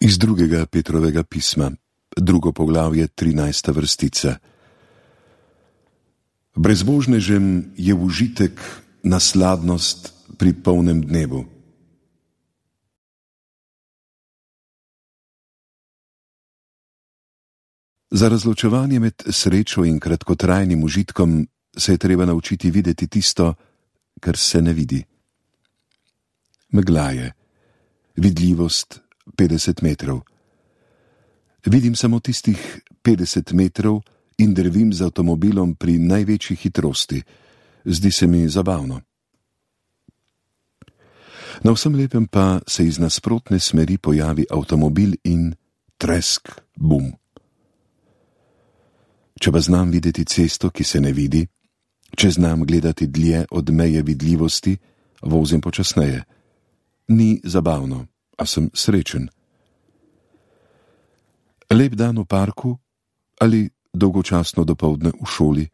Iz drugega Petrovega pisma, 2. poglavje, 13. vrstica. Brezbožnežem je užitek nasladnost pri polnem dnevu. Za razločevanje med srečo in kratkotrajnim užitkom se je treba naučiti videti tisto, kar se ne vidi. Megla je, vidljivost 50 metrov. Vidim samo tistih 50 metrov in drvim z avtomobilom pri največji hitrosti. Zdi se mi zabavno. Na vsem lepem pa se iz nasprotne smeri pojavi avtomobil in tresk, bum. Če pa znam videti cesto, ki se ne vidi, če znam gledati dlje od meje vidljivosti, vozim počasneje. Ni zabavno, a sem srečen. Lep dan v parku ali dolgočasno dopoldne v šoli.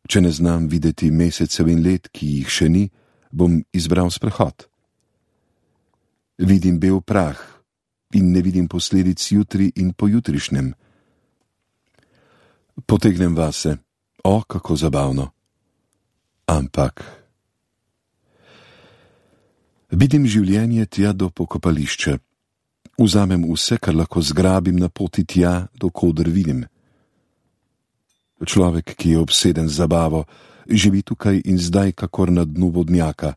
Če ne znam videti mesecev in let, ki jih še ni, bom izbral sprehod. Vidim bel prah in ne vidim posledic jutri in pojutrišnjem. Potegnem vase, kako zabavno. Ampak vidim življenje tja do pokopališča. Vzamem vse, kar lahko zgrabim na poti tja, dokoder vidim. Človek, ki je obseden z zabavo, živi tukaj in zdaj kakor na dnu vodnjaka.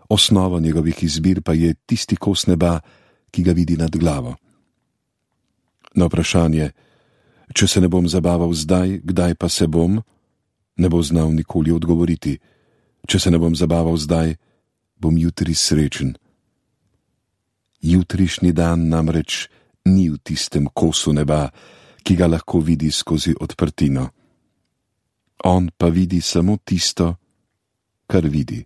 Osnova njegovih izbir pa je tisti kos neba, ki ga vidi nad glavo. Na vprašanje, če se ne bom zabaval zdaj, kdaj pa se bom, ne bo znal nikoli odgovoriti. Če se ne bom zabaval zdaj, bom jutri srečen. Jutrišnji dan namreč ni v tistem kosu neba, ki ga lahko vidi skozi odprtino. On pa vidi samo tisto, kar vidi.